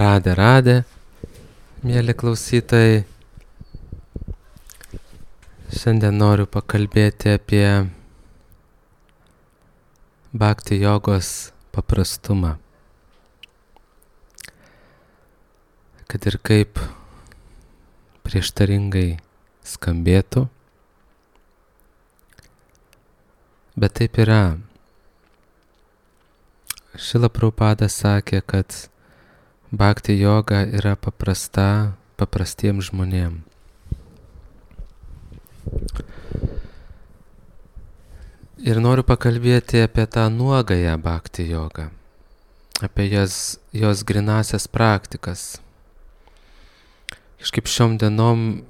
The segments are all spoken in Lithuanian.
Radė, mėly klausytojai. Šiandien noriu pakalbėti apie bhakti jogos paprastumą. Kad ir kaip prieštaringai skambėtų, bet taip yra. Šrila Prabhupada sakė, kad bhakti joga yra paprastiems žmonėms. Ir noriu pakalbėti apie tą nuogąją bhakti jogą, apie jos grinasias praktikas. Kažkaip šiom dienom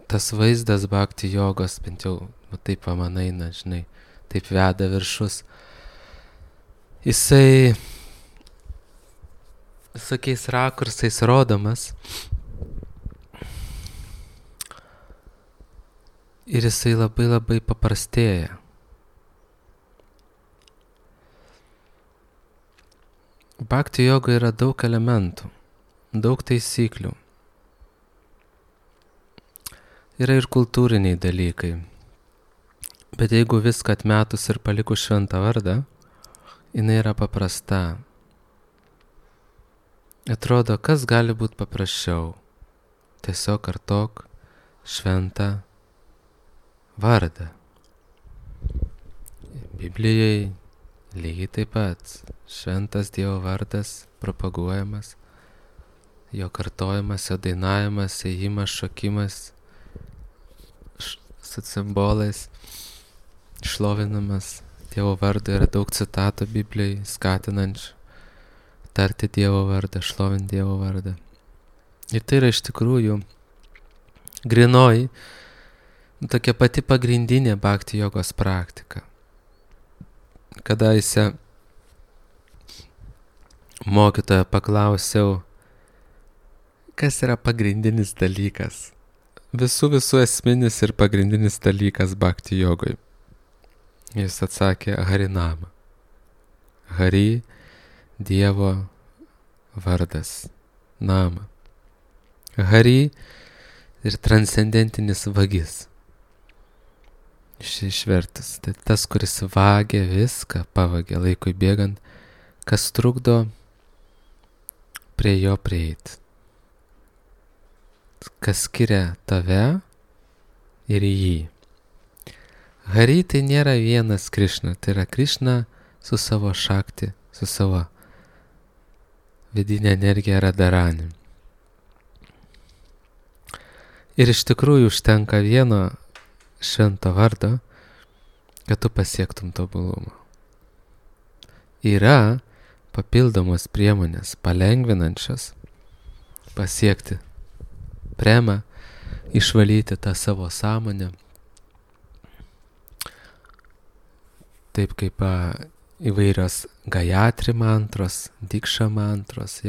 tas vaizdas bhakti jogos, bent jau taip man eina, žinai, taip veda viršus. Jisai visokiais rakursais rodomas ir jisai labai paprastėja. Bhakti joga yra daug elementų, daug taisyklių. Yra ir kultūriniai dalykai. Bet jeigu viską atmetus ir palikus šventą vardą, jinai yra paprasta. Atrodo, kas gali būti paprasčiau? Tiesiog kartok šventą vardą. Biblijai lygiai taip pat šventas Dievo vardas propaguojamas, jo kartojimas, jo dainavimas, ėjimas, šokimas su cimbolais, šlovinamas Dievo vardą. Yra daug citatų Biblijai skatinančių tarti Dievo vardą, šlovinti Dievo vardą. Ir tai yra iš tikrųjų grinoji, tokia pati pagrindinė bhakti jogos praktika. Kadaise mokytojo paklausiau, kas yra pagrindinis dalykas, visų esminis ir pagrindinis dalykas bhakti jogoj. Jis atsakė Harinama. Hari, Dievo vardas, nama. Hari ir transcendentinis vagis. Išvertus, tai tas, kuris vagia viską, pavagia laikui bėgant, kas trukdo prie jo prieiti. Kas skiria tave ir jį. Hari tai nėra vienas Krišna, tai yra Krišna su savo šakti, su savo vidinė energija Radharani. Ir iš tikrųjų užtenka vieno švento vardo, kad tu pasiektum tobulumą. Yra papildomos priemonės palengvinančios pasiekti premą, išvalyti tą savo sąmonę, taip kaip įvairios Gayatri mantros, Dikša mantros,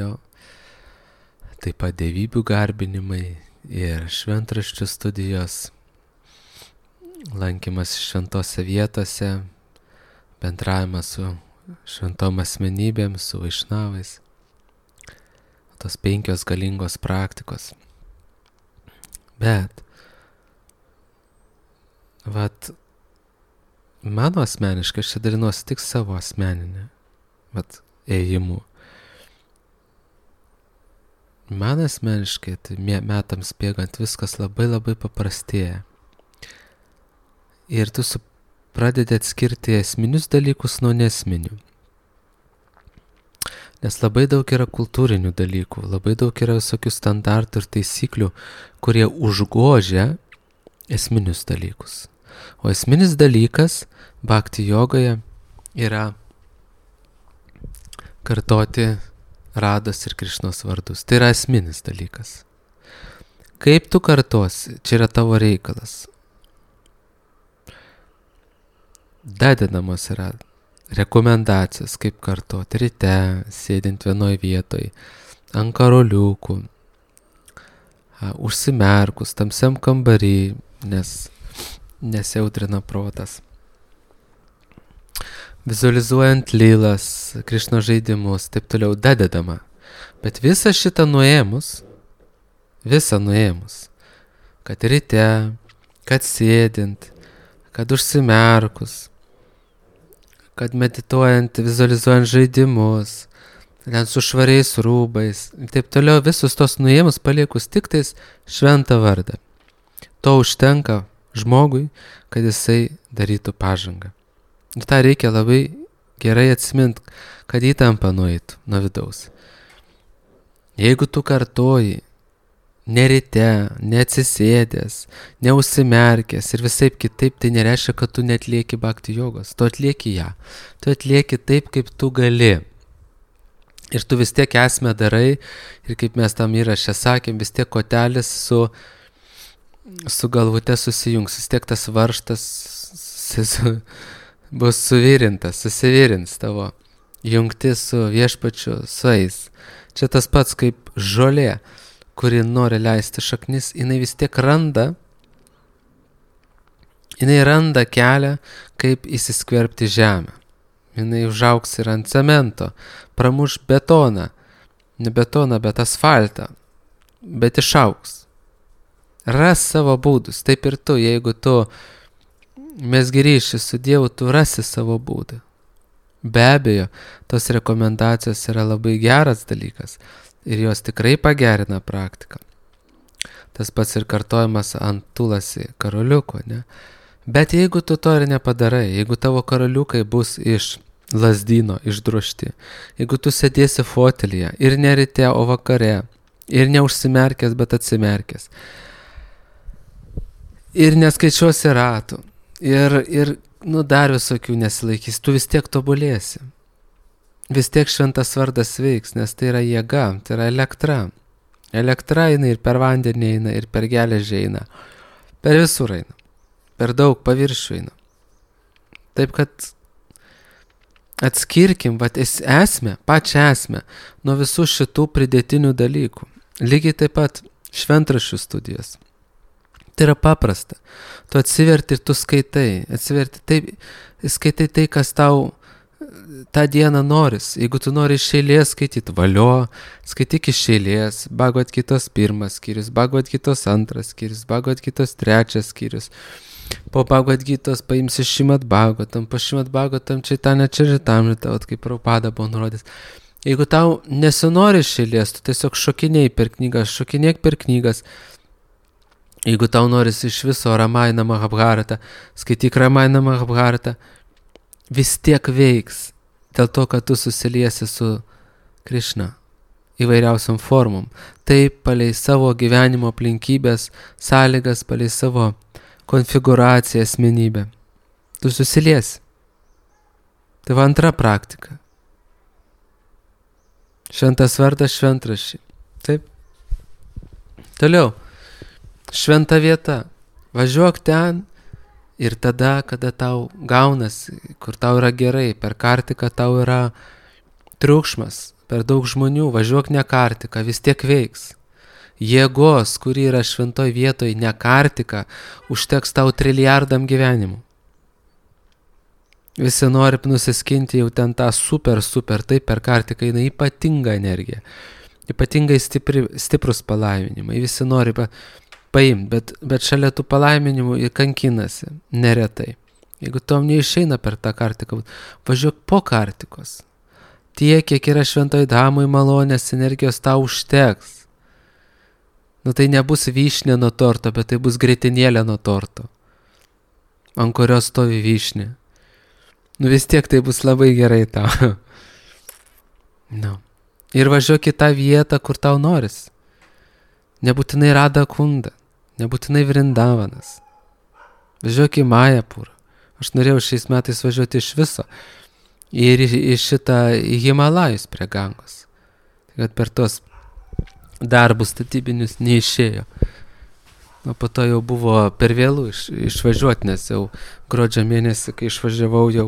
taip pat dievybių garbinimai ir šventraščių studijos, lankymas šventose vietose, bendravimas su šventom asmenybėm, su vaišnavais. Tos 5 galingos praktikos. Bet, mano asmeniškai, aš čia dalinuosi tik savo asmeninę ėjimų. Man asmeniškai, tai metams bėgant viskas labai paprastėja. Ir tu pradedi atskirti esminius dalykus nuo nesminių. Nes labai daug yra kultūrinių dalykų, labai daug yra visokių standartų ir taisyklių, kurie užgožia esminius dalykus. O esminis dalykas bhakti jogoje yra kartoti Rados ir Krišnos vardus. Tai yra esminis dalykas. Kaip tu kartosi, čia yra tavo reikalas. Dedinamos yra rekomendacijos, kaip kartoti ryte, sėdint vienoj vietoj, ant karoliukų, užsimerkus, tamsiam kambarį, nes nesijautrina protas. vizualizuojant lylas, Krišno žaidimus, taip toliau dadedama. Bet visą šitą nuėmus, kad ryte, kad sėdint, kad užsimerkus, kad medituojant, vizualizuojant žaidimus, ten su švariais rūbais, ir taip toliau visus tos nuėmus paliekus tik tais šventą vardą. To užtenka žmogui, kad jisai darytų pažangą. Ir tą reikia labai gerai atsimint, kad įtampa nueitų nuo vidaus. Jeigu tu kartoji, ne ryte, neatsisėdęs, neužsimerkęs ir visaip kitaip, tai nereiškia, kad tu netlieki bhakti jogos. Tu atlieki ją. Tu atlieki taip, kaip tu gali. Ir tu vis tiek esmę darai, ir kaip mes tam įraše sakėm, vis tiek kotelis su galvute susijungs, vis tiek tas varžtas bus susivirins tavo jungtis su viešpačiu sueis. Čia tas pats kaip žolė, kuri nori leisti šaknis, jinai vis tiek randa kelią, kaip įsiskverbti žemę. Jinai užaugs ir ant cemento, pramuš betoną, ne betoną, bet asfaltą, bet išaugs. Ras savo būdus, taip ir tu, jeigu tu mesgi ryšį su Dievu, tu rasi savo būdą. Be abejo, tos rekomendacijos yra labai geras dalykas ir jos tikrai pagerina praktiką. Tas pats ir kartojimas ant tulasi karoliuko, ne? Bet jeigu tu to ir nepadarai, jeigu tavo karoliukai bus iš lazdyno išdrožti, jeigu tu sėdėsi fotelyje ir ne ryte, o vakare, ir neužsimerkęs, bet atsimerkęs, ir neskaičiuosi ratų, ir dar visokių nesilaikys, tu vis tiek tobulėsi. Vis tiek šventas vardas veiks, nes tai yra jėga, tai yra elektra. Elektra eina ir per vandenį eina, ir per geležį eina, per visur eina, per daug paviršių eina. Taip kad atskirkim pačią esmę nuo visų šitų pridėtinių dalykų. Lygiai taip pat šventraščių studijos. Tai yra paprasta. Tu atsiverti ir tu skaitai. Skaitai tai, kas tau tą dieną noris. Jeigu tu nori iš eilės skaityti, valio, skaityk iš eilės. Bhagavad Gitos 1 skyrius, Bhagavad Gitos 2 skyrius, Bhagavad Gitos 3 skyrius. Po Bhagavad Gitos paimsi Šrimad Bhagavatam, po Šrimad Bhagavatam Chaitanya Charitamrita, kaip Prabhupada buvo nurodęs. Jeigu tau nesinori iš eilės, tu tiesiog šokinėk per knygas. Jeigu tau norisi iš viso Ramayana Mahabharata, skaityk Ramayana Mahabharata, vis tiek veiks, dėl to, kad tu susiliesi su Krišna įvairiausiam formom. Taip, palei savo gyvenimo aplinkybės, sąlygas, palei savo konfiguraciją, asmenybę. Tu susiliesi. Tai va antra praktika. Šventas vardas šventraščiai. Taip. Toliau. Šventa vieta. Važiuok ten ir tada, kada tau gaunas, kur tau yra gerai, per kartiką tau yra triukšmas, per daug žmonių, važiuok ne kartiką, vis tiek veiks. Jėgos, kuri yra šventoj vietoj, ne kartika, užteks tau trilijardam gyvenimų. Visi nori nusiskinti jau ten tą super, taip per kartiką eina ypatinga energija, ypatingai stiprus palaiminimai, visi nori paimti, bet šalia tų palaiminimų ir kankinasi neretai. Jeigu tom neišeina per tą kartiką, važiuok po kartikos. Tiek, kiek yra šventoj dhamoj malonės energijos, tau užteks. Tai nebus vyšnė nuo torto, bet tai bus grietinėlė nuo torto, ant kurios stovi vyšnė. Vis tiek tai bus labai gerai tau. Ir važiuok į tą vietą, kur tau noris. Nebūtinai Radha Kunda, nebūtinai Vrindavanas. Važiuok į Majapurą. Aš norėjau šiais metais važiuoti iš viso. Ir į Himalajus prie Gangos. Kad per tos darbus statybinius neišėjo. O po to jau buvo per vėlų išvažiuoti, nes jau gruodžio mėnesį, kai išvažiavau jau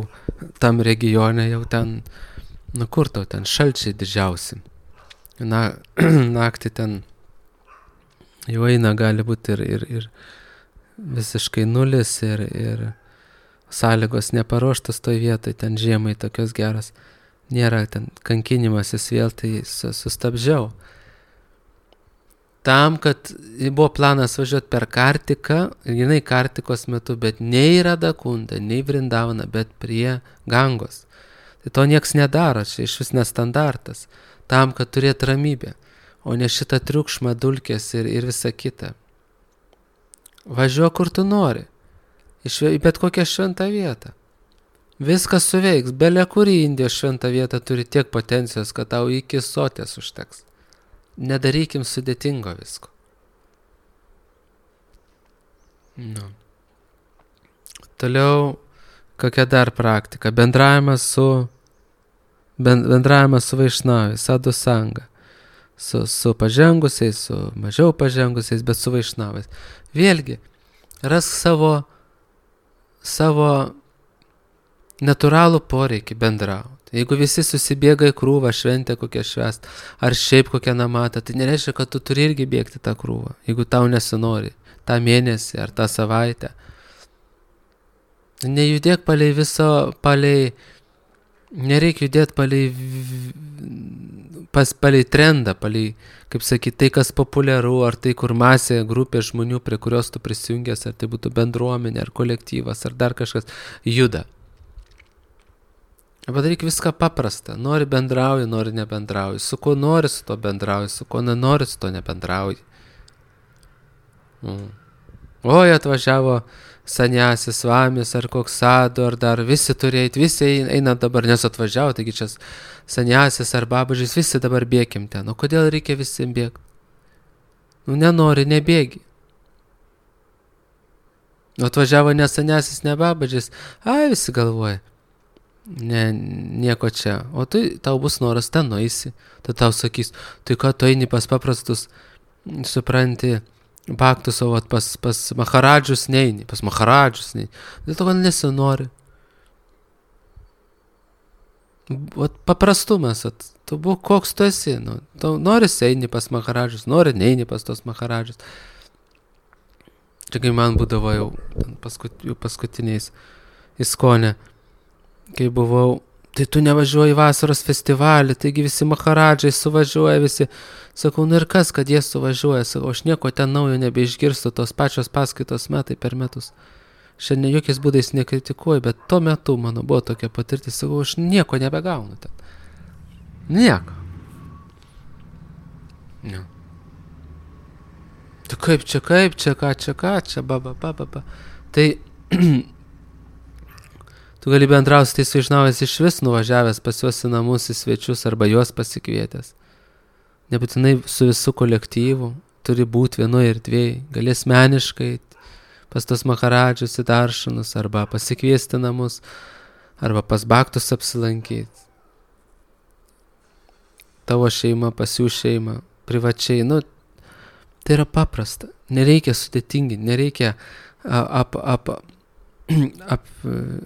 tam regione, jau ten, kur tau ten šalčiai didžiausi. Naktį ten jau eina gali būti ir visiškai nulis ir sąlygos neparuoštos toj vietoj, ten žiemai tokios geros. Nėra ten kankinimasis vėl, tai sustabdžiau. Tam, kad buvo planas važiuoti per Kartiką, jinai Kartikos metu, bet nei Radakunda, nei Vrindavana, bet prie Gangos. Tai to nieks nedaro, čia iš vis nestandartas. Tam, kad turėtų ramybę, o ne šitą triukšmą, dulkės ir visa kita. Važiuok, kur tu nori, į bet kokią šventą vietą. Viskas suveiks, belia kuri Indijos šventą vietą turi tiek potencijos, kad tau iki sotės užteks. Nedarykim sudėtingo visko. Nu. Toliau, kokia dar praktika? Bendravimas su vaišnavais, sadhu sanga. Su pažengusiais, su mažiau pažengusiais, bet su vaišnavais. Vėlgi, rask savo natūralų poreikį bendrauti. Jeigu visi susibėga į krūvą šventę kokią švęst, ar šiaip kokią namatą, tai nereiškia, kad tu turi irgi bėgti tą krūvą, jeigu tau nesinori, tą mėnesį ar tą savaitę. Nejudėk nereikia judėti palei trendą, kaip sakyti, tai, kas populiaru, ar tai, kur masė, grupė žmonių, prie kurios tu prisijungęs, ar tai būtų bendruomenė, ar kolektyvas, ar dar kažkas, juda. Padaryk viską paprastą. Nori bendrauji, nori nebendrauji. Su kuo nori, su to bendrauji. Su kuo nenori, su to nebendrauji. Oi, atvažiavo sanjasis svamis ar koks sadhu, ar dar visi turėjai, visi eina dabar, nes atvažiavo, taigi čia sanjasis ar babažys, visi dabar bėkim ten. O kodėl reikia visiems bėgti? Nenori, nebėgi. Atvažiavo ne sanjasis, ne babažys, visi galvoja. Ne, nieko čia. O tau bus noras, ten nueisi. Tai tau sakys, tai ką tu eini pas paprastus, supranti, baktus, o pas maharadžius neini, pas maharadžius neini. Dėl to, kad nesinori. Paprastumas, tu būk koks tu esi. Tu nori eini pas maharadžius, nori neini pas tos maharadžius. Čia kai man būdavo jau paskutiniais įskonė. Kai buvau, tai tu nevažiuoji vasaros festivalį, taigi visi maharadžai suvažiuoja, visi. Sakau, ir kas, kad jie suvažiuoja? Sakau, aš nieko ten naujo nebeišgirstu, tos pačios paskaitos metai per metus. Šiandien jokiais būdais nekritikuoju, bet tuo metu mano buvo tokia patirtis, sakau, aš nieko nebegaunu ten. Nieko. Ne. Tu kaip čia, ba. Tai tu gali bendrauti tais vaišnavais iš vis nuvažiavęs pas juos į namus, į svečius arba juos pasikvietęs. Nebūtinai su visų kolektyvu, turi būti vienoje ir dviejai. Gali asmeniškai pas tos maharadžius į daršanus arba pasikviesti namus, arba pas baktus apsilankyti. Tavo šeima, pas jų šeima, privačiai. Tai yra paprasta. Nereikia sudėtingi, nereikia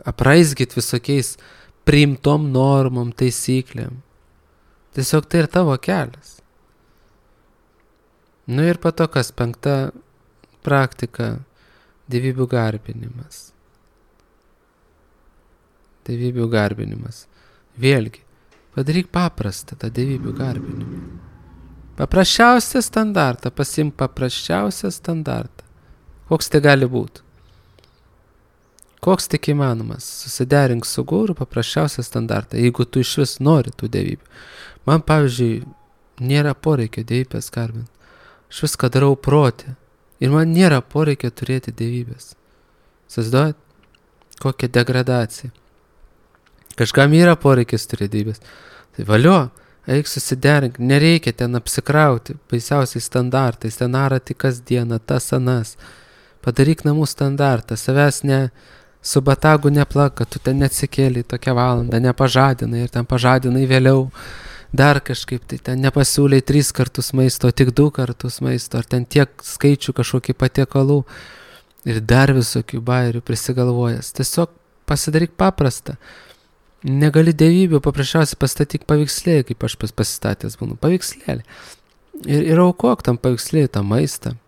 apraizgyti visokiais priimtom normom, taisyklėm. Tiesiog tai ir tavo kelias. Ir po to, kas 5 praktika, dievybių garbinimas. Dievybių garbinimas. Vėlgi, padaryk paprastą tą dievybių garbinimą. Paprasčiausią standartą, pasimk paprasčiausią standartą. Koks tai gali būti? Koks tik įmanomas? Susiderink su guru paprasčiausią standartą, jeigu tu iš vis nori tų dievybių. Man, pavyzdžiui, nėra poreikio dievybės garbinti. Aš viską darau protį. Ir man nėra poreikio turėti dievybės. Įsivaizduojat? Kokia degradacija. Kažkam yra poreikis turėti dievybės. Tai valio, eik susiderink, nereikia ten apsikrauti baisiausiais standartais, ten arati kasdieną, tas anas. Padaryk namų standartą, savęs su batagu neplak, kad tu ten neatsikėlai tokią valandą, nepažadinai ir ten pažadinai vėliau. Dar kažkaip tai ten nepasiūlai 3 kartus maisto, tik 2 kartus maisto, ar ten tiek skaičių kažkokį patiekalų ir dar visokių bairių prisigalvojęs. Tiesiog pasidaryk paprastą. Negali dievybių, paprasčiausiai pastatyk paveikslėlį, kaip aš pasistatęs būnu, paveikslėlį. Ir aukok tam paveikslėlį tą maistą.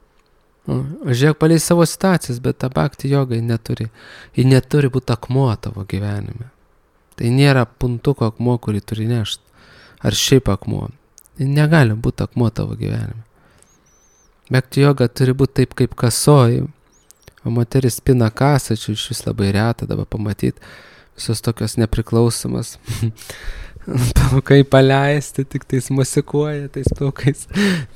Žiūrėk palei savo situacijas, bet ta bhakti joga ji neturi būti akmuo tavo gyvenime. Tai nėra puntuko akmuo, kurį turi nešti. Ar šiaip akmuo. Ji negali būti akmuo tavo gyvenime. Bhakti joga turi būti taip kaip kasoj, o moteris pina kasą, čia iš vis labai reta dabar pamatyti, visos tokios nepriklausomas. Plaukai paleisti, tik tais musikuoja tais plaukais.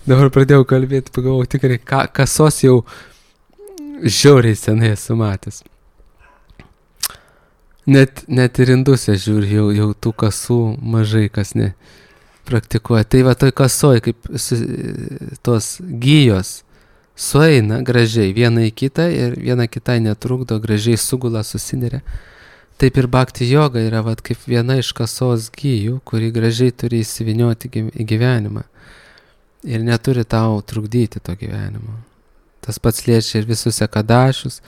Dabar pradėjau kalbėti, pagalvojau, tikrai kasos jau žiauriai senai esu matęs. Net ir induse žiūri, jau tų kasų mažai kas ne praktikuoja. Tai va toj kasoj, kaip tos gijos sueina gražiai viena į kitą ir viena kitai netrukdo, gražiai sugula, susineria. Taip ir bhakti joga yra vat, kaip viena iš kasos gijų, kuri gražiai turi įsivinioti į gyvenimą ir neturi tau trukdyti to gyvenimo. Tas pats liečia ir visus ekadašius,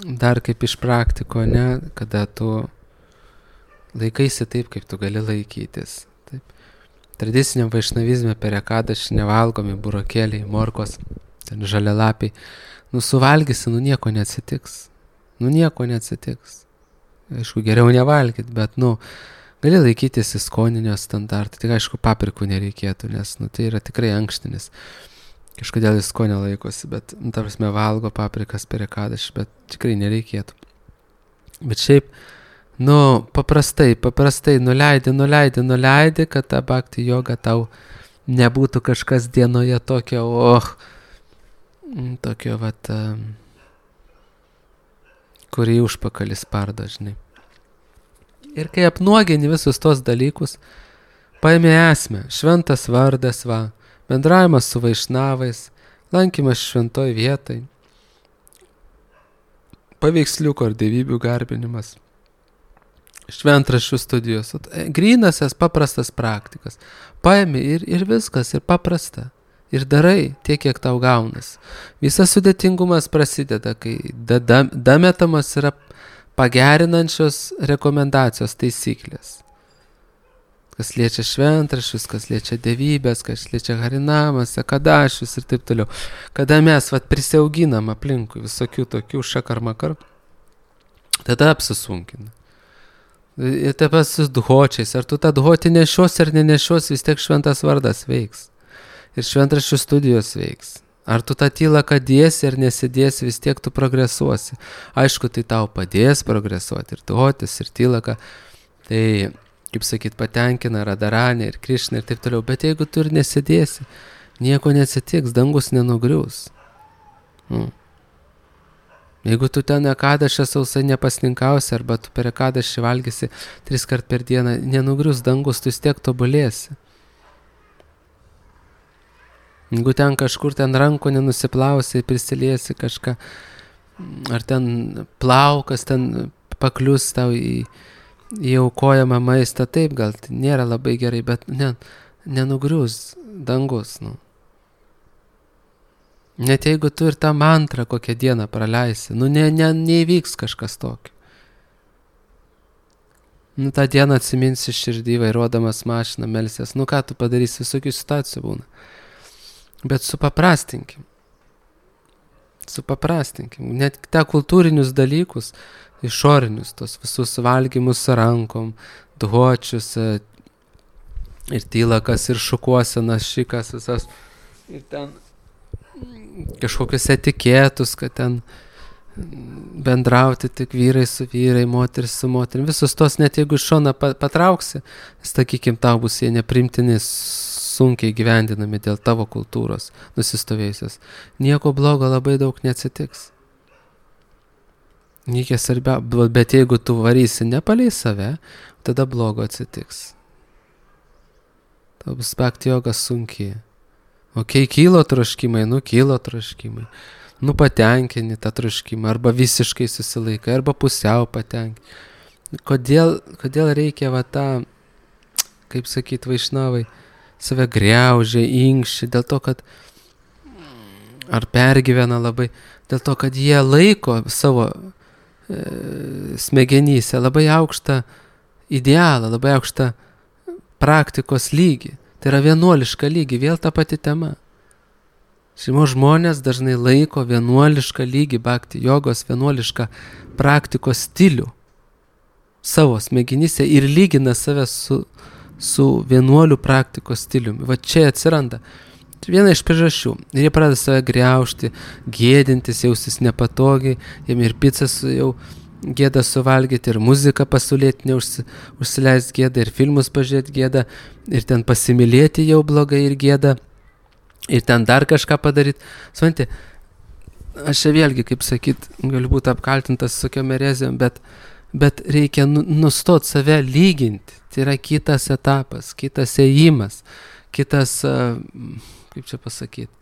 dar kaip iš praktiko, ne, kada tu laikaisi taip, kaip tu gali laikytis. Taip. Tradiciniam vaišnavizme per ekadašį nevalgomi burokėliai, morkos, ten žalialapiai. Suvalgysi, nieko neatsitiks. Nieko neatsitiks. Aišku, geriau nevalgyt, bet, gali laikytis įskoninio standartą. Tik, aišku, paprikų nereikėtų, nes, tai yra tikrai ankštinis. Kažkodėl įskonio laikosi, bet, ta prasme, valgo paprikas per ekadašį, bet tikrai nereikėtų. Bet šiaip, paprastai nuleidi, kad ta bhakti joga tau nebūtų kažkas dienoje tokio, kurį užpakalį spardo, žinai. Ir kai apnuogini visus tos dalykus, paimi esmę, šventas vardas, bendravimas su vaišnavais, lankymas šventoj vietai, paveiksliuko ar dievybių garbinimas, šventraščių studijos, grynasias paprastas praktikas. Paimi ir viskas, ir paprasta. Ir darai tiek, kiek tau gaunas. Visas sudėtingumas prasideda, kai dametamas yra pagerinančios rekomendacijos taisyklės. Kas liečia šventraščius, kas liečia dievybės, kas liečia harinamas, ekadašius ir taip toliau. Kada mes prisiauginam aplinkui visokių tokių šakarmakar, tada apsisunkina. Ir taip pat su dhočiais. Ar tu tą dhoti nešios ar nenešios, vis tiek šventas vardas veiks. Ir šventraščių studijos veiks. Ar tu tą tylą dėsi ar nesidėsi, vis tiek tu progresuosi. Aišku, tai tau padės progresuoti ir dhotis, ir tylaka. Tai, kaip sakyt, patenkina Radharanį ir Krišną ir taip toliau. Bet jeigu tu ir nesidėsi, nieko neatsitiks, dangus nenugrius. Jeigu tu ten ekadašę sausai nepasninkausi, arba tu per ekadašį valgysi 3 kart per dieną, nenugrius dangus, tu vis tiek tobulėsi. Jeigu ten kažkur rankų nenusiplausi, prisiliesi kažką, ar ten plaukas ten paklius tau į aukojamą maistą, taip gal tai nėra labai gerai, bet nenugrius dangus. Net jeigu tu ir tą mantrą kokią dieną praleisi, neįvyks kažkas tokio. tą dieną atsiminsi širdį vairuodamas mašiną, melsies, ką tu padarysi, visokių situacijų būna. Bet supaprastinkim. Net tą kultūrinius dalykus, išorinius, tos visus valgymus rankom, duočius, ir tylakas, ir šukuosenas, šikas, visas, ir ten kažkokius etikėtus, kad ten bendrauti tik vyrai su vyrai, moteris su moterim, visus tos, net jeigu iš šoną patrauksi, sakykim, tau bus jie neprimtini, sunkiai gyvendinami dėl tavo kultūros nusistovėjusios. Nieko blogo labai daug neatsitiks. Niekia svarbia, bet jeigu tu varysi ne palei save, tada blogo atsitiks. Tau bus bhakti joga sunkiai. Kylo troškimai, kylo troškimai. Patenkini tą troškimą, arba visiškai susilaikai, arba pusiau patenkini. Kodėl reikia tą, kaip sakyt, vaišnavai, save griaužia, inkščia, dėl to, kad ar pergyvena labai, dėl to, kad jie laiko savo smegenyse labai aukštą idealą, labai aukštą praktikos lygį. Tai yra vienuoliška lygį, vėl ta pati tema. Šeimos žmonės dažnai laiko vienuolišką lygį bhakti jogos, vienuolišką praktikos stilių savo smegenyse ir lygina save su vienuolių praktikos stiliumi. Va čia atsiranda viena iš priežasčių. Ir jie pradeda save griaužti, gėdintis, jaustis nepatogiai, jiem ir pizzas jau gėda suvalgyti, ir muziką pasaulėtinę užsileist gėda, ir filmus pažiūrėti gėda, ir ten pasimylėti jau blogai ir gėda, ir ten dar kažką padaryti. Supranti, aš čia vėlgi, kaip sakyt, galiu būti apkaltintas tokiom erezijom, bet reikia nustot save lyginti. Tai yra kitas etapas, kitas ėjimas, kitas, kaip čia pasakyti,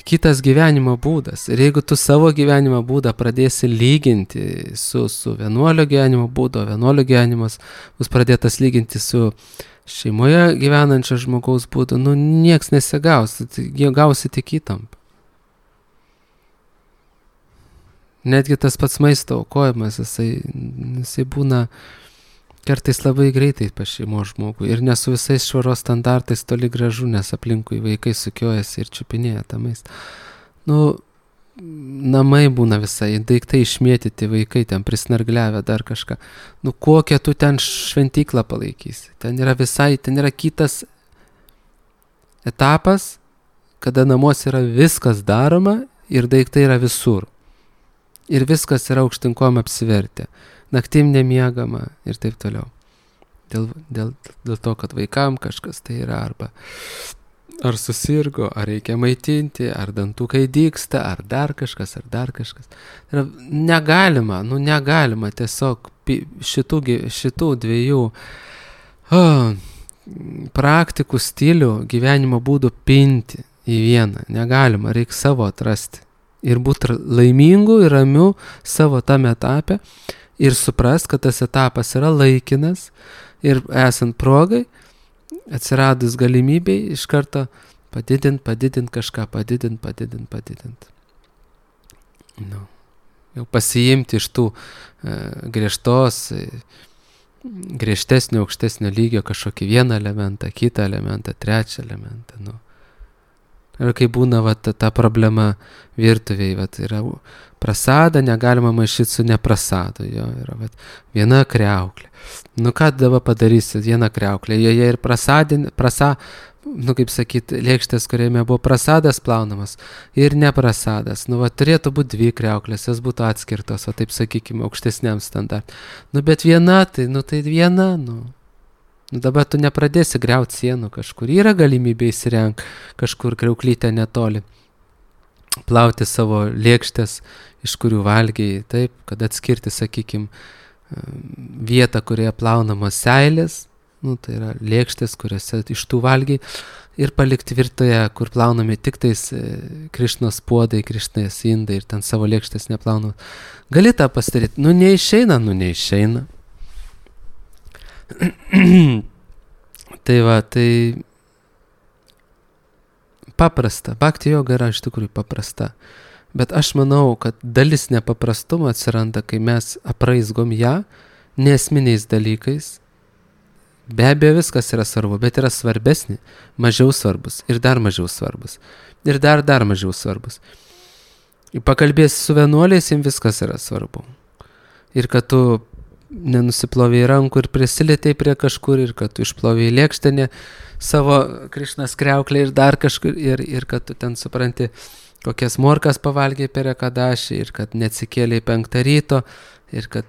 kitas gyvenimo būdas. Ir jeigu tu savo gyvenimo būdą pradėsi lyginti su vienuolio gyvenimo būdu, vienuolio gyvenimas bus pradėtas lyginti su šeimoje gyvenančio žmogaus būdu, nieks nesigaus, jie gausi tik įtampą. Netgi tas pats maisto aukojimas, jisai būna kartais labai greitai pas šeimos žmogų ir ne su visais švaros standartais toli gražu, nes aplinkui vaikai sukiojasi ir čiupinėja tą maistą. Namai būna visai, daiktai išmėtyti, vaikai ten prisnargliavę dar kažką. Kokią tu ten šventyklą palaikysi? Ten yra kitas etapas, kada namuose yra viskas daroma ir daiktai yra visur. Ir viskas yra aukštinkom apsivertę. Naktim nemiegama ir taip toliau. Dėl to, kad vaikam kažkas tai yra ar susirgo, ar reikia maitinti, ar dantukai dygsta, ar dar kažkas. Negalima tiesiog šitų dviejų praktikų stilių gyvenimo būdų pinti į vieną. Negalima, reikia savo atrasti. Ir būti laimingu ir ramiu savo tame etape ir suprast, kad tas etapas yra laikinas ir esant progai, atsiradus galimybei, iš karto padidint kažką, padidint. Jau pasiimti iš tų griežtesnio, aukštesnio lygio kažkokį vieną elementą, kitą elementą, trečią elementą, Ir kai būna ta problema virtuvėje, yra prasada, negalima maišyti su neprasadu, yra viena kriauklė. Ką dabar padarysi, viena kriauklė, joje ir kaip sakyti, lėkštės, kuriame buvo prasadas plaunamas ir neprasadas. Turėtų būti dvi kriauklės, jos būtų atskirtos, taip sakykime, aukštesniam standartui. Bet viena, tai viena, Dabar tu nepradėsi griauti sienų kažkur. Yra galimybė įsirenk kažkur kriauklytę netoli. Plauti savo lėkštės, iš kurių valgiai, taip, kad atskirti, sakykime, vietą, kurioje plaunamos seilės, tai yra lėkštės, kuriuose iš tų valgiai, ir palikti virtoje, kur plaunami tik tais Krišnos puodai, Krišnos indai ir ten savo lėkštės neplaunamos. Gali tą pasidaryti. Neišeina. Tai paprasta. Bhakti joga yra iš tikrųjų paprasta. Bet aš manau, kad dalis nepaprastumo atsiranda, kai mes apraizgom ją neesminiais dalykais. Be abejo, viskas yra svarbu, bet yra svarbesni, mažiau svarbus ir dar mažiau svarbus. Ir dar mažiau svarbus. Pakalbėsi su vienuoliais, jiems viskas yra svarbu. Ir kad tu nenusiplovėjai rankų ir prisilietėjai prie kažkur, ir kad tu išplovėjai lėkštenę savo Krišnos kriauklę ir dar kažkur, ir kad tu ten supranti, kokias morkas pavalgiai per ekadašį, ir kad neatsikėlėjai 5 ryto, ir kad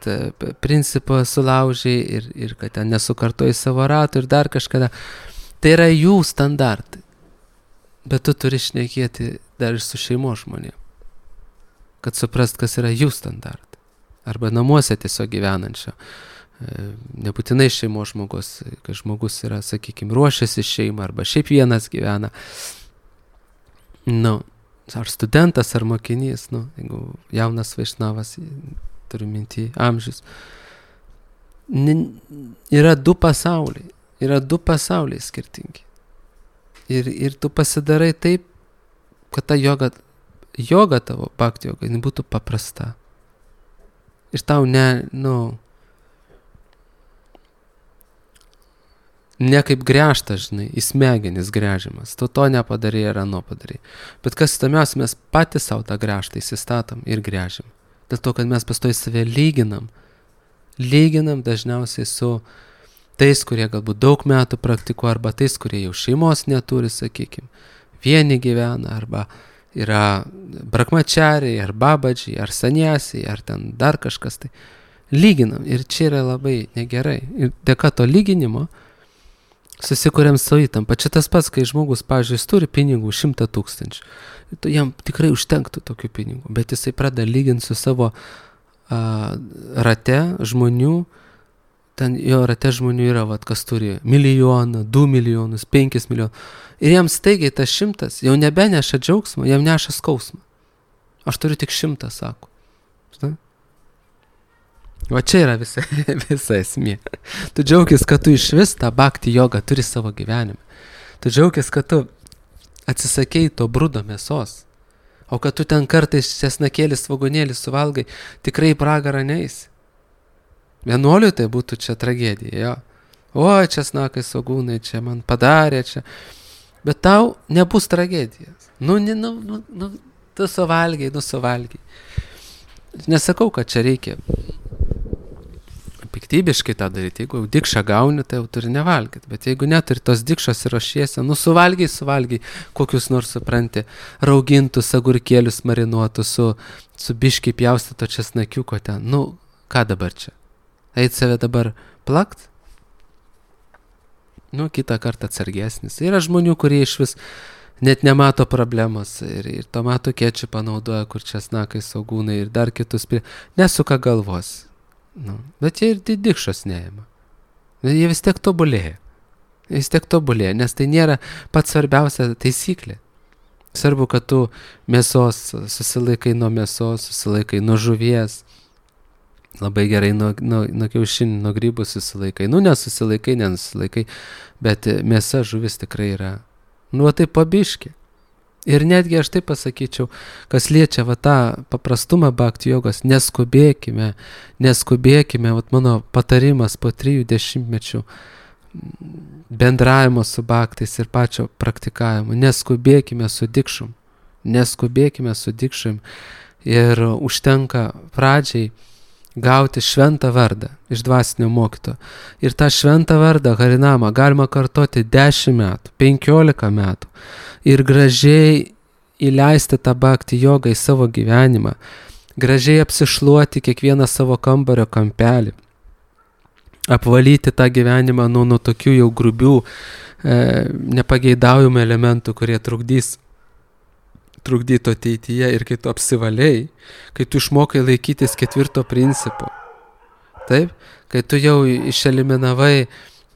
principą sulaužiai, ir kad ten nesukartojai savo ratų ir dar kažkada. Tai yra jų standartai. Bet tu turi šnekėti dar ir su šeimos žmonėm, kad suprast, kas yra jų standartai. Arba namuose tiesiog gyvenančio. Nebūtinai šeimos žmogus, kai žmogus yra, sakykime, ruošiasi šeimą, arba šiaip vienas gyvena. Ar studentas, ar mokinys, jeigu jaunas vaišnavas, turiu minty amžius. Yra du pasauliai skirtingi. Ir tu pasidarai taip, kad ta joga tavo, bhakti joga, būtų paprasta. Ir tau Ne kaip gręžta, žinai, į smegenis gręžimas. Tu to nepadarė ir ano padarė. Bet kas įdomiausia, mes patys savo tą gręžtą įsistatom ir gręžim. Dėl to, kad mes pastoji save lyginam. Lyginam dažniausiai su tais, kurie galbūt daug metų praktikuoja, arba tais, kurie jau šeimos neturi, sakykime. Vieni gyvena, arba yra brakmačiariai, ar babadžiai, ar saniasiai, ar ten dar kažkas. Tai lyginam. Ir čia yra labai negerai. Ir dėka to lyginimo susikuriam savo įtampą. Čia tas pats, kai žmogus, pavyzdžiui, jis turi pinigų 100 000. Jam tikrai užtenktų tokių pinigų, bet jisai pradeda lyginti su savo rate žmonių. Ten jo rate žmonių yra, kas turi 1 milijoną, 2 milijonus, 5 milijonus. Ir jam staigiai tas 100 jau nebeneša džiaugsmo, jam neša skausmą. Aš turiu tik 100, sako. Žinai? Va čia yra visa esmė. Tu džiaugis, kad tu iš vis tą bhakti jogą turi savo gyvenime. Tu džiaugis, kad tu atsisakei to brudo mėsos. O kad tu ten kartais česnakėlį svogūnėlį suvalgai, tikrai į pragarą neisi. Vienuoliui tai būtų čia tragedija, jo. O, česnakai svogūnai čia man padarė čia. Bet tau nebus tragedijos. Tu suvalgiai. Nesakau, kad čia reikia piktybiškai tą daryti. Jeigu dikšą gauni, tai jau turi nevalgyti. Bet jeigu neturi tos dikšos ir ruošiesi, suvalgiai, kokius nors supranti, raugintus agurkėlius marinuotus su biškiai pjaustyto česnakiuko ten. Ką dabar čia? Eit save dabar plakt? Kitą kartą atsargesnis. Yra žmonių, kurie iš vis net nemato problemos ir tomatų kečupą naudoja, kur česnakai, svogūnai ir dar kitus nesuka galvos. Bet jie ir didikšos neima. Jie vis tiek tobulėja. Nes tai nėra pats svarbiausia taisyklė. Svarbu, kad tu mėsos susilaikai nuo mėsos, susilaikai nuo žuvies. Labai gerai nuo kiaušinių, nuo grybų susilaikai. Nesusilaikai, bet mėsa, žuvis tikrai yra. Tai pabiški. Ir netgi aš taip pasakyčiau, kas liečia tą paprastumą bhakti jogos, neskubėkime, mano patarimas po 30 metų bendravimo su bhaktais ir pačio praktikavimo, neskubėkime su dikšom ir užtenka pradžiai gauti šventą vardą iš dvasinio mokytojo. Ir tą šventą vardą harinamą galima kartoti 10 metų, 15 metų ir gražiai įleisti tą bhakti jogą į savo gyvenimą, gražiai apsišluoti kiekvieną savo kambario kampelį, apvalyti tą gyvenimą nuo tokių jau grubių, nepageidaujamų elementų, kurie trukdytų ateityje. Ir kai tu apsivaliai, kai tu išmokai laikytis 4 principo, taip, kai tu jau išeliminavai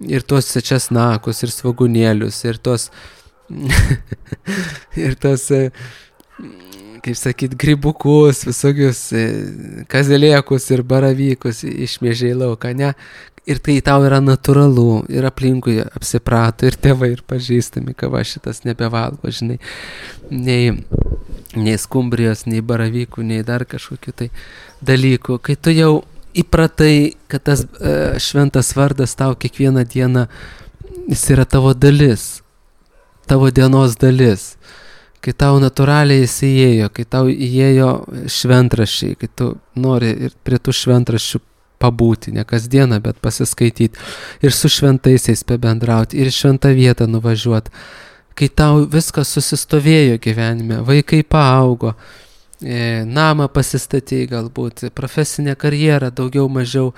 ir tuos česnakus, ir svogūnėlius, ir tos kaip sakyt, grybukus, visokius kazelėkus ir baravykus išmėžiai lauką, ne? Ir tai tau yra natūralu, ir aplinkui apsiprato, ir tėvai, ir pažįstami, kad va šitas nebevalgo, žinai, nei skumbrijos, nei baravykų, nei dar kažkokių tai dalykų. Kai tu jau įpratai, kad tas šventas vardas tau kiekvieną dieną, jis yra tavo dalis, tavo dienos dalis, kai tau natūraliai jis įėjo, kai tau įėjo šventraščiai, kai tu nori ir prie tų šventraščių pabūti, ne kasdieną, bet pasiskaityti ir su šventaisiais pabendrauti ir šventą vietą nuvažiuoti, kai tau viskas susistovėjo gyvenime, vaikai paaugo, namą pasistatei galbūt, profesinę karjerą daugiau mažiau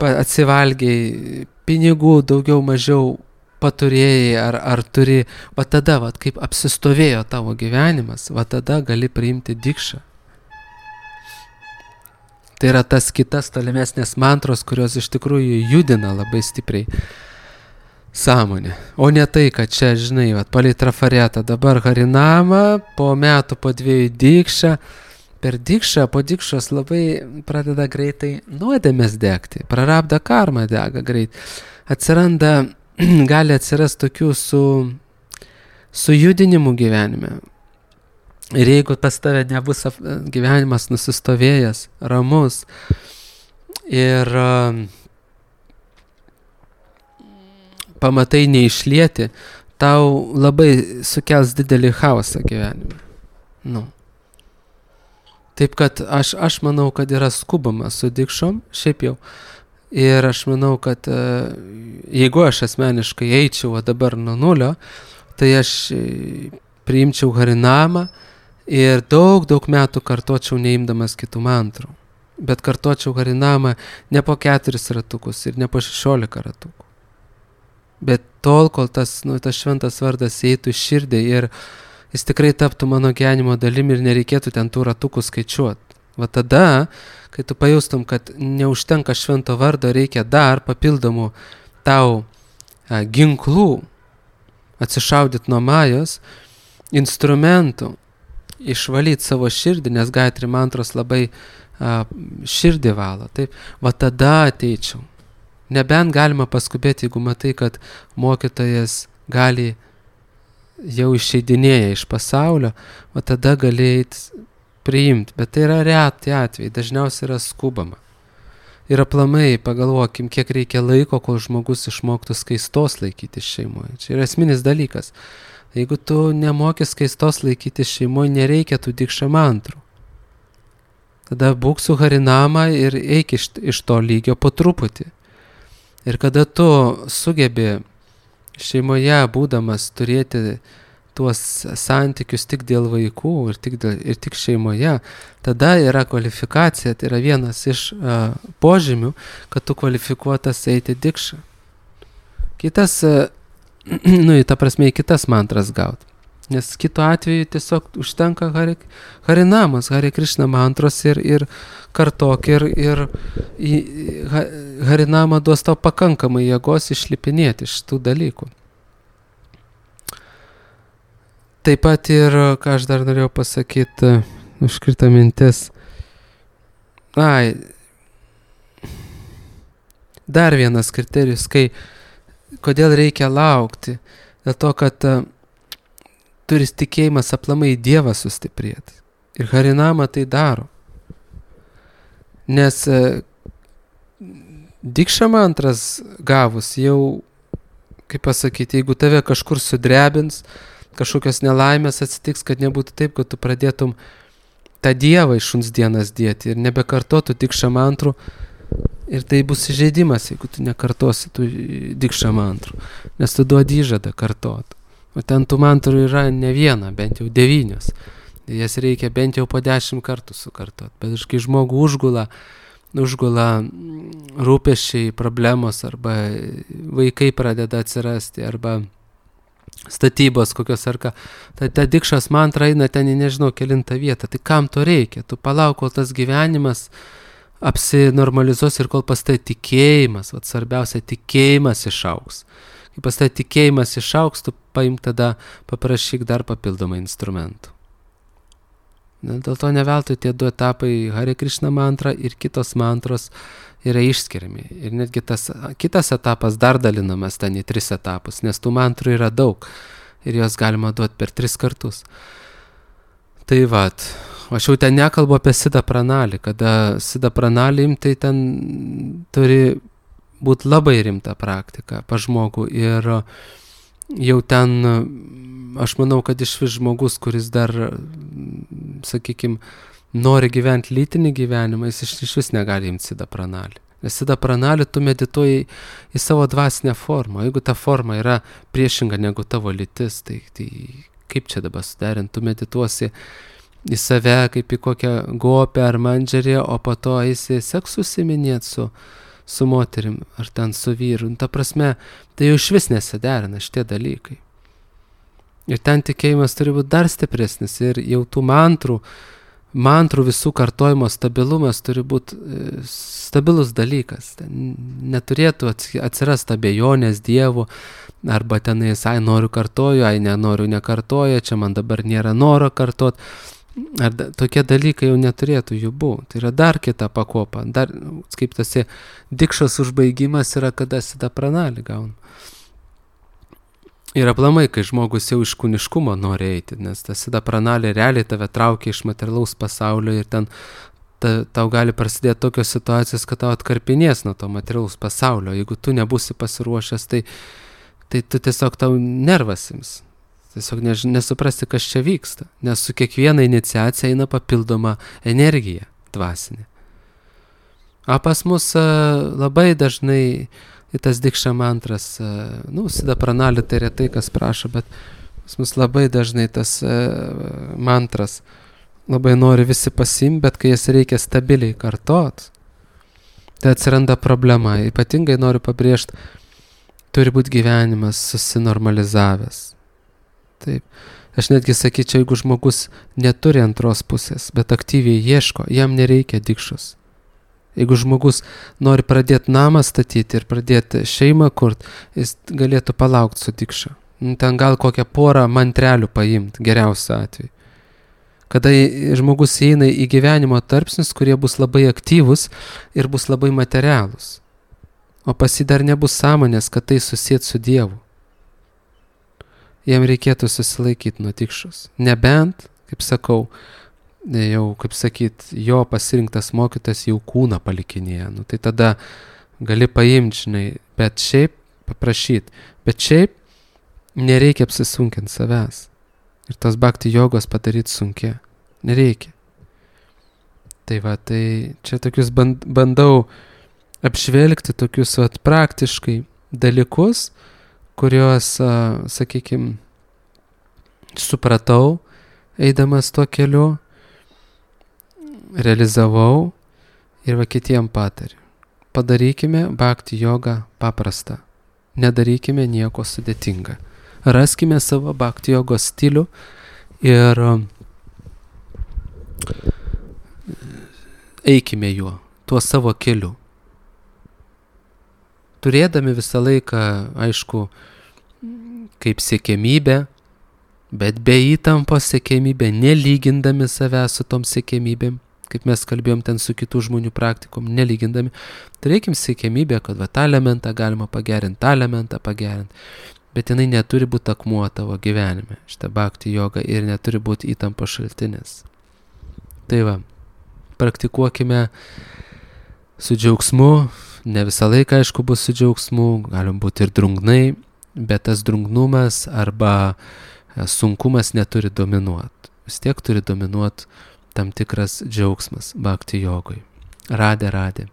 atsivalgiai, pinigų daugiau mažiau paturėjai ar turi, va tada, kaip apsistovėjo tavo gyvenimas, va tada gali priimti dikšą. Tai yra tas kitas tolimesnės mantros, kurios iš tikrųjų judina labai stipriai sąmonę. O ne tai, kad čia, žinai, palei trafaretą dabar harinama, po metų, po 2 dikšą, per dikšą, po dikšos labai pradeda greitai nuodėmės degti, prarabda karma dega greit. Gali atsirasti tokių su judinimu gyvenime. Ir jeigu pas tave nebus gyvenimas nusistovėjęs, ramus ir pamatai neišlieti, tau labai sukels didelį chaosą gyvenime. Nu. Taip kad aš manau, kad yra skubama su dikšom, šiaip jau. Ir aš manau, kad jeigu aš asmeniškai eičiau dabar nuo nulio, tai aš priimčiau harinamą ir daug metų kartočiau neimdamas kitų mantrų. Bet kartočiau harinamą ne po 4 ratukus ir ne po 16 ratukų. Bet tol, kol tas šventas vardas eitų į širdį ir jis tikrai taptų mano gyvenimo dalimi ir nereikėtų ten tų ratukų skaičiuoti. Va tada, kai tu pajustum, kad neužtenka švento vardo, reikia dar papildomų tau ginklų, atsišaudyti nuo majos, instrumentų, išvalyti savo širdį, nes Gayatri mantros labai širdį valo. Taip, va tada ateičiau. Nebent galima paskubėti, jeigu matai, kad mokytojas gali jau išeidinėja iš pasaulio, va tada gali eiti priimti. Bet tai yra reti atvejai, dažniausiai yra skubama. Ir aplamai pagalvokim, kiek reikia laiko, kol žmogus išmoktų skaistos laikyti šeimoje. Čia yra esminis dalykas. Jeigu tu nemoki skaistos laikyti šeimoje, nereikia tų dikša mantrų. Tada būk su harinama ir eik iš to lygio po truputį. Ir kada tu sugebi šeimoje būdamas turėti tuos santykius tik dėl vaikų ir tik šeimoje, tada yra kvalifikacija, tai yra vienas iš požymių, kad tu kvalifikuotas eiti dikšą. Kitas, ta prasme, į kitas mantras gauti. Nes kitu atveju tiesiog užtenka harinamas, Hare Krishna mantros ir kartok ir harinama duos tau pakankamai jėgos išlipinėti iš tų dalykų. Taip pat ir, ką aš dar norėjau pasakyti, užkrito mintis. Dar vienas kriterijus, kodėl reikia laukti, dėl to, kad turi tikėjimas aplamai Dievą sustiprėti. Ir harinama tai daro. Nes dikša mantras gavus jau, kaip pasakyti, jeigu tave kažkur sudrebins, kažkokios nelaimės atsitiks, kad nebūtų taip, kad tu pradėtum tą Dievą iš šuns dienas dėti ir nebekartotų dikša mantrų. Ir tai bus įžeidimas, jeigu tu nekartosi tų dikša mantrų, nes tu duodi įžadą kartot. O ten tų mantrų yra ne viena, bent jau 9. Jas reikia bent jau po 10 kartų sukartot. Bet kai žmogų užgula rūpesčiai, problemos, arba vaikai pradeda atsirasti, arba statybos kokios ar ką, tai ta dikšos mantra eina ten į nežinau kelintą vietą. Tai kam to reikia? Tu palauk, kol tas gyvenimas apsinormalizuos ir kol pas tai tikėjimas, svarbiausia, tikėjimas išaugs. Kai pas tai tikėjimas išaugs, tu paimk tada, paprašyk dar papildomą instrumentų. Dėl to neveltui tie 2 etapai, Hare Krishna mantra ir kitos mantros, yra išskiriami. Ir netgi tas kitas etapas dar dalinamas ten į 3 etapus, nes tų mantrų yra daug ir jos galima duoti per 3 kartus. Tai vat, aš jau ten nekalbu apie Siddha Pranali, kada Siddha Pranali imtai ten turi būti labai rimta praktika pa žmogų ir jau ten, aš manau, kad išvis žmogus, kuris dar, sakykime, nori gyventi lytinį gyvenimą, jis išvis negali imti Siddha Pranali. Nes Siddha Pranali tu medituoji į savo dvasinę formą. Jeigu ta forma yra priešinga negu tavo lytis, tai kaip čia dabar suderinti? Tu medituosi į save kaip į kokią gopę ar mandžerį, o po to eisi seksu užsiiminėti su moterim ar ten su vyru. Ta prasme, tai jau išvis nesiderina šitie dalykai. Ir ten tikėjimas turi būti dar stipresnis ir jau tų mantrų visų kartojimo stabilumas turi būti stabilus dalykas. Ten neturėtų atsirasti abejonės Dievu, arba tenais, noriu kartoju, nenoriu nekartoju, čia man dabar nėra noro kartot. Tokie dalykai jau neturėtų jų būti. Tai yra dar kita pakopa. Dar, kaip tas dikšos užbaigimas yra, kada Siddha Pranali gauna. Ir aplamai, kai žmogus jau iš kūniškumo nori eiti, nes tas Siddha Pranali realiai tave traukia iš materialaus pasaulio ir ten tau gali prasidėti tokios situacijos, kad tau atkarpinės nuo to materialaus pasaulio. Jeigu tu nebūsi pasiruošęs, tai tu tiesiog tau nervas ims. Tiesiog nesuprasti, kas čia vyksta, nes su kiekviena iniciacija eina papildoma energija dvasinė. O pas mus labai dažnai į tas dikša mantras, Sida Pranali tai retai kas prašo, bet pas mus labai dažnai tas mantras labai nori visi pasimti, bet kai jas reikia stabiliai kartot, tai atsiranda problema. Ypatingai noriu pabrėžti, turi būti gyvenimas susinormalizavęs. Taip. Aš netgi sakyčiau, jeigu žmogus neturi antros pusės, bet aktyviai ieško, jam nereikia dikšos. Jeigu žmogus nori pradėti namą statyti ir pradėti šeimą kurt, jis galėtų palaukti su dikša. Ten gal kokią porą mantrelių paimti, geriausiu atveju. Kada žmogus eina į gyvenimo tarpsnius, kurie bus labai aktyvus ir bus labai materialūs. O pas jį dar nebus sąmonės, kad tai susiet su Dievu. Jam reikėtų susilaikyti nuo dikšos. Nebent, kaip sakau, jo pasirinktas mokytas jau kūną palikinėja. Tai tada gali paimti, žinai, bet šiaip paprašyti. Bet šiaip nereikia apsisunkinti savęs. Ir tos bhakti jogos padaryti sunkia. Nereikia. Tai čia tokius bandau apžvelgti tokius praktiškai dalykus, kuriuos, sakykime, supratau, eidamas tuo keliu, realizavau ir kitiem patariu. Padarykime bhakti jogą paprastą. Nedarykime nieko sudėtingą. Raskime savo bhakti jogos stilių ir eikime juo, tuo savo keliu. Turėdami visą laiką, aišku, kaip siekiamybę, bet be įtampos siekiamybę, nelygindami savęs su tom siekiamybėm, kaip mes kalbėjom ten su kitų žmonių praktikom, nelygindami, turėkim siekiamybę, kad tą elementą galima pagerinti, tą elementą pagerinti. Bet jinai neturi būti akmuo tavo gyvenime, šitą bhakti jogą, ir neturi būti įtampos šaltinis. Tai praktikuokime su džiaugsmu, ne visą laiką, aišku, bus su džiaugsmu, galim būti ir drungnai, bet tas drungnumas arba sunkumas neturi dominuoti. Vis tiek turi dominuoti tam tikras džiaugsmas bhakti jogui. Radė.